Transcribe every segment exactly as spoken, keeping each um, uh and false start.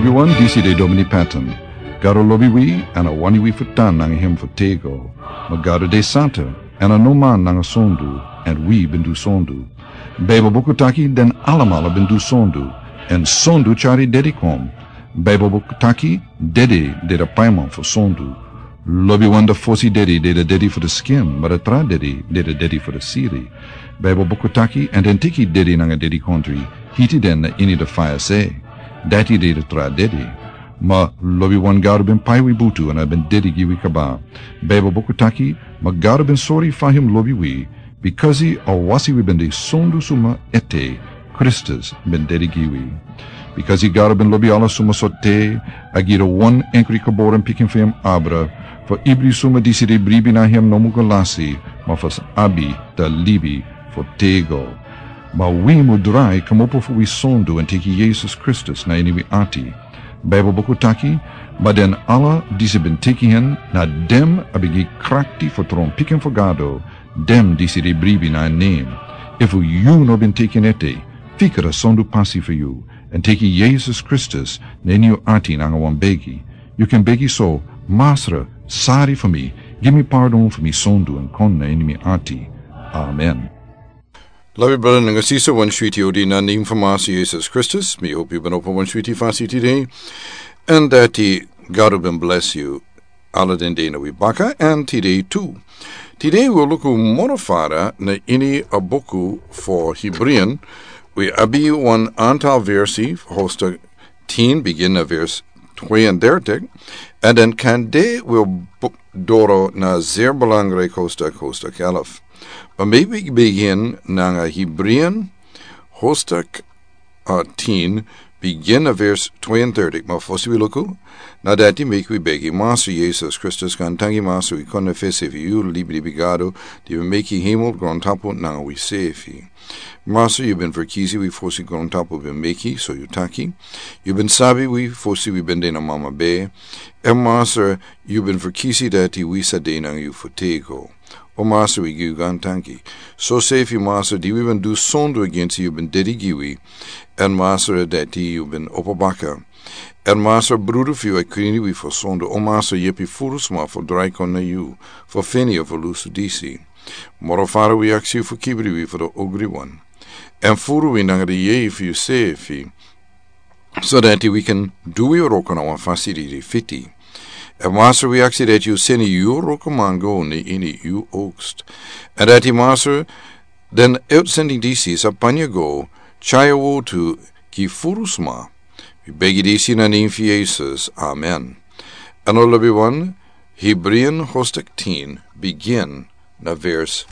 Wi wan disi de Domini Patton. Gado lobi wi, èn a wani wi fu tan nanga hem fu tego. Ma Gado de santa, èn a no man nanga sondu, èn wi ben du sondu. Baibel buku taki den alamala ben du sondu, èn sondu tyari dedi kon. Baibel buku taki dedi de de paiman fu sondu. Lobiwan de fosi dedi de de dedi fu de skin, ma de tra dedi de de dedi fu de siri. Baibel buku taki, èn den teki dedi nanga dedikontri, hiti den na ini de faya se. Dati de de tra dedi. Ma lobiwan Gado ben pai wi butu èn a ben dedi gi wi kaba. Baibel buku taki, ma Gado ben sori fa hem lobi wi, bikasi a wasi wi ben de sondu suma ete, Kristus ben dedi gi wi. Bikasi Gado ben lobi ala suma so te, a gi de wan enkri geboren pikin fu hem abra, fu ibri suma disi de bribi na hem no mu go lasi, ma fu abi da libi fu tego. Ma wi mu drai kmopo fu wi sondu èn teki Yesus Kristus na ini wi ati. Baibel buku taki, ma den ala disi ben teki hen, na dem a ben gi krakti fu tron pikin fu Gado, dem disi de bribi na en nen. Efu yu no ben teki en ete, fika da sondu pasi fu yu, èn teki Yesus Kristus na ini yu ati nanga wan begi. Yu kan begi so, Masra, sari fu mi, gi mi pardon fu mi sondu èn kon na ini mi ati. Amen. Lobi brada nanga sisa, wan switi odi na nen fu Masra Yesus Kristus. Mi hopi yu ben opo wan switi fasi tide. Èn dati Gado ben bless yu. Ala den de na wi baka, èn tide tu. Tide wi luku moro fara na ini a buku fu Hebrian. Wi abi wan antal versi, hoofdstuk tien, begin na vers tweeëndertig. Èn den kande wi bu-, doro na zeer belangrijk hoofdstuk, hoofdstuk elf. Ma maybe begin nanga Hebrian, hoofdstuk uh, tien, begin na vers tweeëndertig, ma fosi wi luku na dati, meki wi begi. Masra Yesus Kristus, gaantangi Masra, wi kon na fesi fu yu, libi, libi Gado, di ben meki hemel, grontapu nanga wi sefi. Masra, yu ben ferkisi wi fosi grontapu ben meki, so yu taki. Yu ben sabi wi fosi wi ben de na mama bee. Èn Masra, yu ben ferkisi dati wi sa de nanga yu fu tego. O Masra, wi gi yu gaantangi. So sefi Masra, di wi ben du sondu agensi yu, yu ben dedi gi wi. Èn Masra, dati yu ben opo baka. Èn Masra, brudu fu yu a krin wi fu sondu. O Masra, yepi furu sma fu drai kon na yu, fu feni a fu lusu disi. Moro fara wi aksi yu fu kibri wi fu da ogri wan. Èn furu wi nanga da yeye fu yu sefi. So dati wi kan du wi wroko na wan fasi di de fiti. Èn Masra, wi aksi dati yu seni yu wrokoman go na ini yu oogst. Èn dati Masra, den uitsending disi sa panya go, tyai a wortu gi furu sma. Wi begi disi na nen fu Yesus. Amen. Èn o lobiwan, Hebrian hoofdstuk tien, begin na vers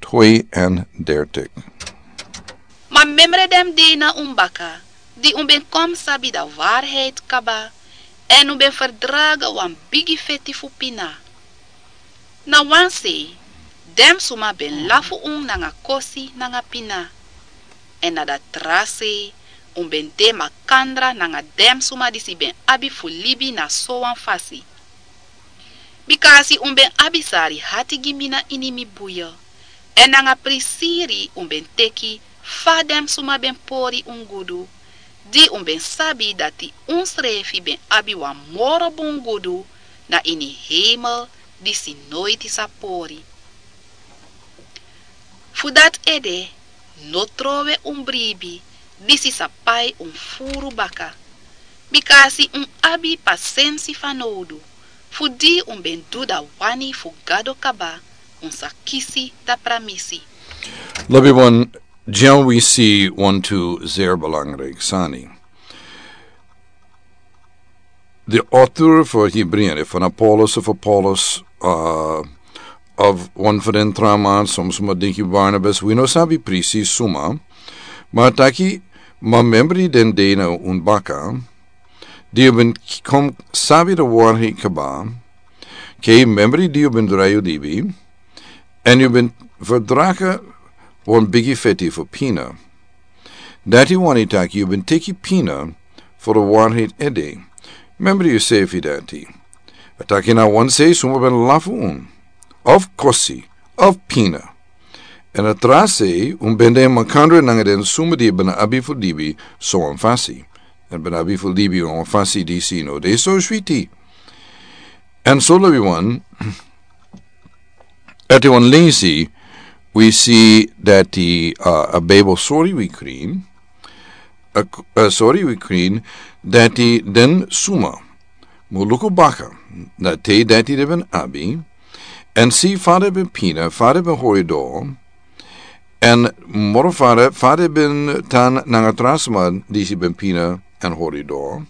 tweeëndertig. Ma memre den dei na un baka, di un ben kon sabi da waarheid kaba, èn un ben ferdraga wan bigi feti fu pina. Na wan sei, den suma ben lafu un nanga kosi nanga pina. Èn na da tra sei, un ben de makandra nanga den suma disi ben abi fu libi na sowan fasi. Bikasi un ben abi sari hati gi mi na ini mi buya. Èn nanga prisiri un ben teki fa den suma ben pori un gudu. Di un ben sabi dati unsrefi ben abi wan moro bun gudu na ini hemel disi noiti sa pori. Fu dati ede, no trowe un bribi, disi sa pai un furu baka. Bikasi un abi pasensi fanowdu, fu di un ben du da wani fu Gado kaba, un sa kisi da pramisi. Lobiwan, dyan wi si wantu zeer belangrijk sani. De auteur fu Hebrian, efu na Paulus, efu Paulus, uh, of wan fu den tra man, som suma denki Barnabas, wi no sabi precies suma, ma taki, ma memri den dei na un baka, di yu ben kon sabi da waarheid kaba, ke memri di yu ben drai yu libi, èn yu ben ferdraga wan bigi feti fu pina. Dati wani taki yu ben teki pina fu da waarheid ede. Memri yusefi dati. A taki na wan sei suma ben lafu un, of kosi, of pina. Èn a tra sei un ben de makandra nanga den suma di ben abi fu libi sowan fasi. En ben abi fu libi wan fasi disi no de so switi. En so lobi wan, ati wan lensi, wi si dati a Bijbel sori wi krin, a sori wi krin, dati den suma mu luku baka na te dati den ben abi, en si fa den ben pina, fa den ben hori doro, en moro fa den, fa den ben tan nanga tra suma disi ben pina en hori doro.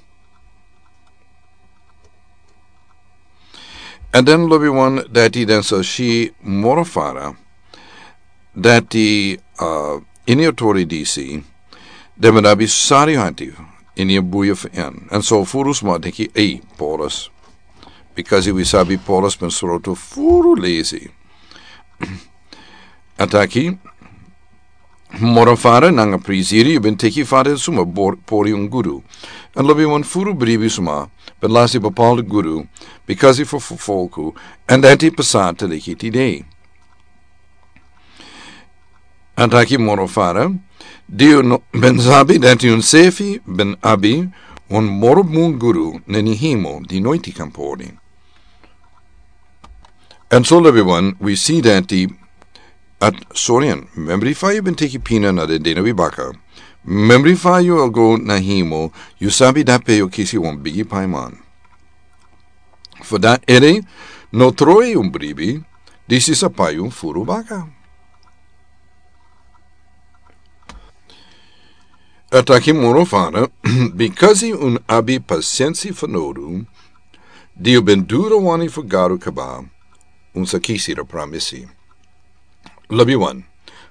En den lobi wan dati den sa si moro fa den, dati a ini a tori disi, den ben abi sari hati ini a buya fu en. En so furu suma denki, ei, Paulus. Bikasi wi sabi Paulus ben sroto furu lesi. A taki, moro fa den nanga prisiri, yu ben teki fa den suma pori un gudu. En lobi wan furu bribi suma ben lasi bepaalde gudu, bikasi fu folku, en dati pasa te leki tide. A taki moro fa den, di un ben sabi dati un sefi ben abi wan moro bun gudu na ini hemel di noiti kan pori. En so lobi wan, wi si dati, a sori en, memri fa yu ben teki pina na den dei na wi baka. Memri fa yu a go na hemel, yu sabi dape yu kisi wan bigi paiman. Fu dati ede, no troi un bribi, disi sa pai un furu baka. A taki moro fa den, bikasi un abi pasensi fanowdu, di un ben du den wani fu Gado kaba, un sa kisi den pramisi. Lobi wan,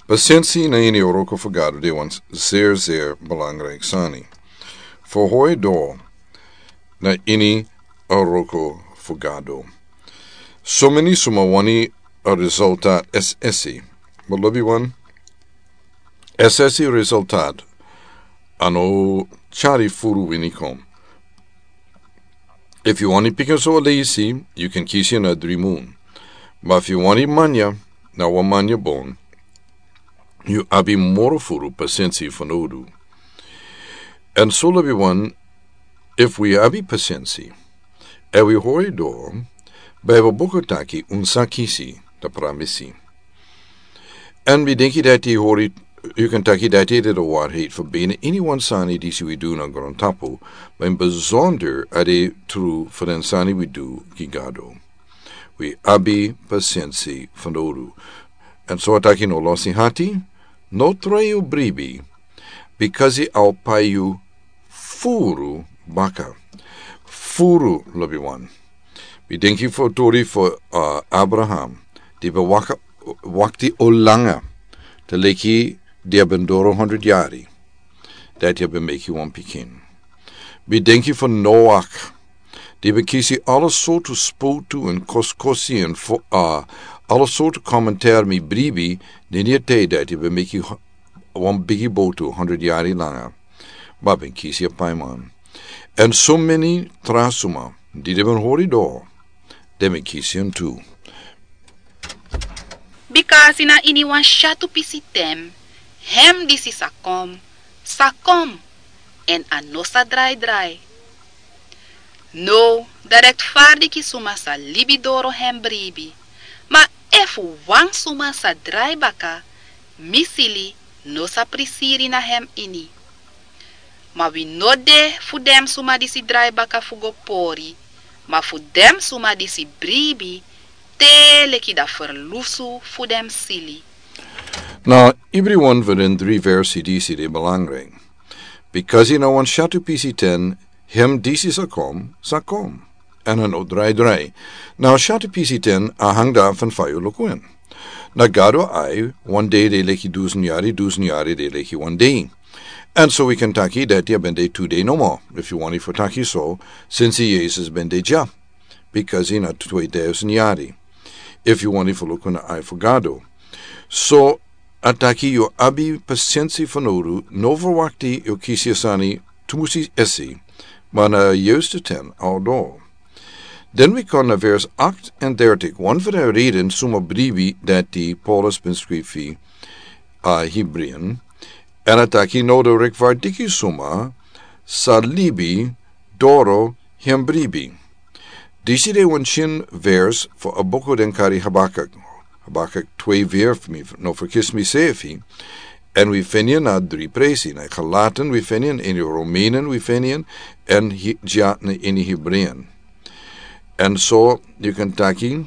pasensi na ini a wroko fu Gado de wan zeer, zeer belangrijk sani. Fu hori doro na ini a wroko fu Gado. Someni suma wani a resultat es'esi. Ma lobi wan, es'esi resultat a no tyari furu wini kon. Efu yu wani pikin so a leisi, yu kan kisi en na dri mun. Ma efu yu wani manya, na wan manya bon, yu abi moro furu pasensi fanowdu. En so lobi wan, efu wi abi pasensi, èn wi hori doro, Bijbel buku taki un sa kisi den pramisi. En mi denki dati hori, yu kan taki dati de a waarheid fu bijna ini wan sani disi wi du na grontapu, ma ini besonder a de tru fu den sani wi du gi Gado. Wi abi pasensi fanowdu. En so a taki no losi hati, no troi yu bribi, bikasi a o pai yu furu baka. Furu lobi wan. Mi denki fu tori fu, a, Abraham, di ben waka, wakti o langa, te leki di a ben doro honderd yari, dati a ben meki wan pikin. Mi denki fu Noach, di ben kisi ala sortu spotu en koskosi en fu, a, ala sortu komentar mi bribi, den yu te dati a ben meki wan bigi botu honderd yari langa. Ma ben kisi a paiman. En someni tra suma, di den ben hori doro, den ben kisi en tu. Bikasi na ini wan syatu pisi ten, hem disi sa kon, sa kon, en a no sa drai drai. Now, dan rektfardiki suma sa libi doro hem bribi. Ma efu wan suma sa drai baka, mi sili no sa prisiri na hem ini. Ma wi no de fu den suma disi drai baka fu go pori, ma fu den suma disi bribi, te leki a ferlusu fu den sili. Na ibri wan fu den dri versi disi de belangrijk. Bikasi na wan syatu pisi ten, hem disi sa kon, sa kon. En a no drai drai. Na syatu pisi ten a hang dati fu fa yu luku en. Na Gado ai, wan dei de leki dusen yari, dusen yari de leki wan dei. En so wi kan taki dati a ben de tu dei nomo, efu yu wani fu taki so, sinsi Yesus ben de dya. Bikasi na twedusen yari. Efu yu wani fu luku na ai fu Gado. So, a taki yu abi pasensi fanowdu, no ferwakti yu kisi a sani tumusi esi, ma na a yuiste ten a o doro. Den wi kon na vers acht en dertig, wan fu den reden suma bribi dati Paulus ben skrifi a Hebreeën, en a taki now den rektfardiki suma, sa libi doro hem bribi. Disi de wan shin vers fu a buku den kari Habakuk. Habakuk twee weer, mi no verkis mi sefi. En wi feni en na dri presi, na Galaten wi feni en, ini Romeinen wi feni en, en hi-, ja na ini Hebreeën. En so, yu kan taki,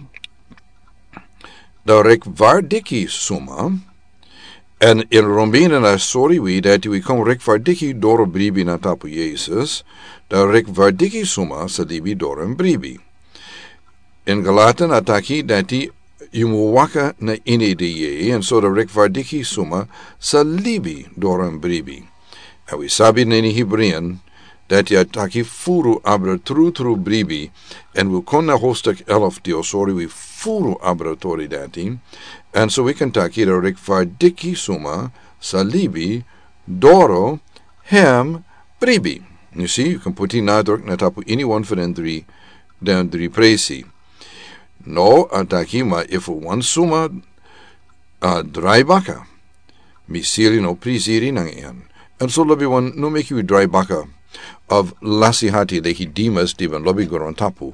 da rechtvaardig suma, en in Romeinen a sori wi dati wi kon rechtvaardig doro bribi na tapu Jesus, da rechtvaardig suma sa libi doro en bribi. In Galaten a taki dati yu mu waka na ini de Yeye, en so da rechtvaardig suma sa libi doro en bribi. En wi sabi na ini Hebreeën, dati a taki furu abra tru tru bribi, en wi kon na hoofdstuk elf di a sori wi furu abra tori dati, en so wi kan taki da rechtvaardig suma sa libi doro hem bribi. Yu si, yu kan puti nadruk na tapu ini wan fu den dri, den dri presi. No, a taki ma efu wan suma a drai baka, mi siri no prisiri nanga en. En so lobi wan no meki wi drai baka of lasi hati leki Demas di ben lobi grontapu.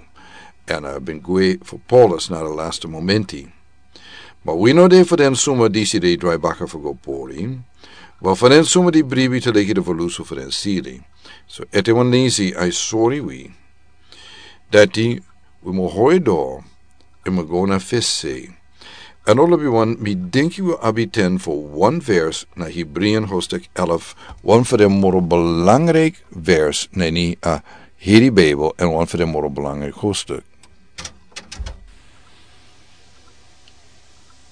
En a ben gwe fu Paulus na de laste momenti. Ma wi no de fu den suma disi de drai baka fu go pori. Ma fu den suma di bribi te leki de fu lusu fu den siri. So ete wan nisi a sori wi. Dati wi mu hoi do, e mu go na fesi. En olo bi wan mi denki wi abi ten fu wan vers na Hebreeën hoofdstuk elf, wan fu den moro belangrijk vers na ini a heri Bijbel, en wan fu den moro belangrijk hoofdstuk.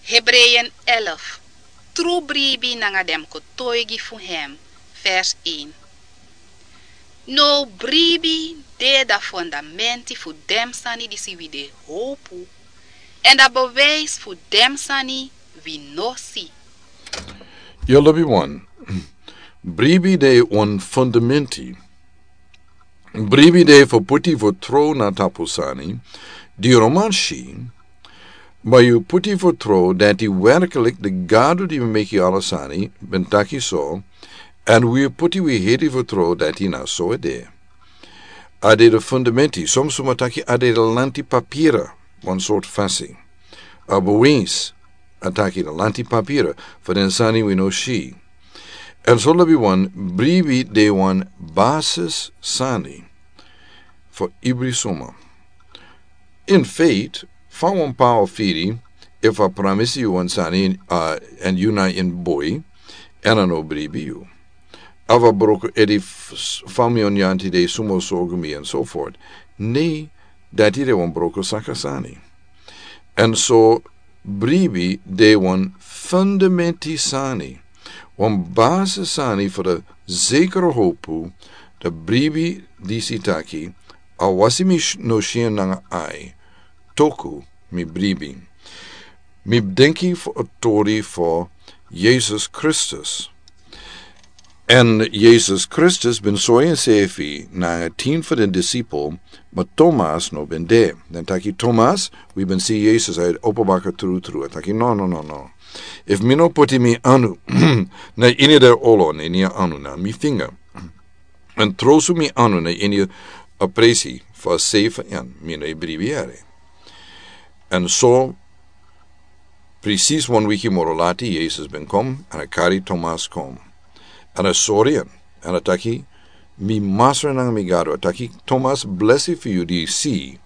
Hebreeën elf. Tru bribi nanga den kotoigi fu hem, vers een. No bribi de da fondamenti fu den sani disi wi de hopu, en da bewijs fu den sani wi no si. Yu lobi wan. Bribi de wan fondamenti. Bribi de fu puti fu tro na tapu sani di yu no man si, ma yu puti fu tro dati werkelijk de Gado di meki ala sani ben taki so, en wi puti wi heri fu tro dati na so e de. A de de fundamenti, som suma taki a de de lanti papira, wan sort fasi. A bewijs, a taki de lanti papira, fu den sani wi no si. En so lobi wan bribi de wan basis sani fu ibri suma. In feit, fa wan pa o firi, efu a pramisi yu wan sani, a, en yu na in boi, en a no bribi yu. Of a broko edi f-, fami on yanti de sumo sogumi en so fort. Ne, dati de wan broko saka sani. En so bribi de wan fundamenti sani. Wan base sani fu de zekere hopu, de bribi disi taki, a wasi mi sh-, no sien nanga ai. Toku, mi bribi. Mi denki fu a tori fu Jesus Kristus. En Jesus Kristus ben sori ensefi nanga tin fu den disipel, ma Thomas no ben de. Den taki Thomas, wi ben si Jesus a opo baka tru tru. A taki no, no, no, no. Efu mi no puti mi anu na ini de olo, na ini a anu na mi finga. En trosu mi anu na ini a presi fu a sei fu en, mi no e bribi yere. En so, presis wan wiki moro lati, Jesus ben kom, en a kari Thomas kom. En a sori en, en a taki, mi Masra nanga mi Gado, a taki, Thomas, blesi fu yu di si,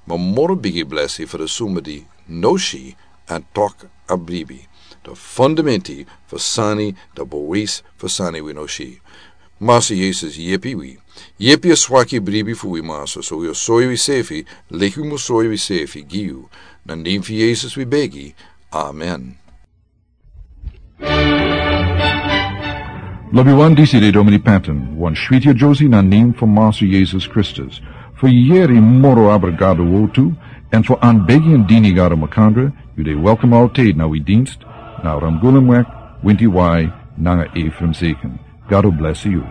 ma moro bigi blesi fu de suma di no si, en tok a bribi. De fundamenti fu sani, de bewijs fu sani wi no si. Masra Jesus yepi wi. Yepi a swaki bribi fu wi Masra, so wi o soi wi sefi, leki wi mu soi wi sefi gi yu. Na nen fu Jesus wi begi. Amen. Lobi wan, disi de Domini Patton, wan switi a Josie na nen fu Masra Jesus Kristus. Fu yeri moro abra Gado wotu, en fu anbegi en dini Gado makandra, yu de welkom altijd na wi dienst, na Ramgulemwek, Winti Wai, nanga Ephraim Zeken. Gado blesi yu.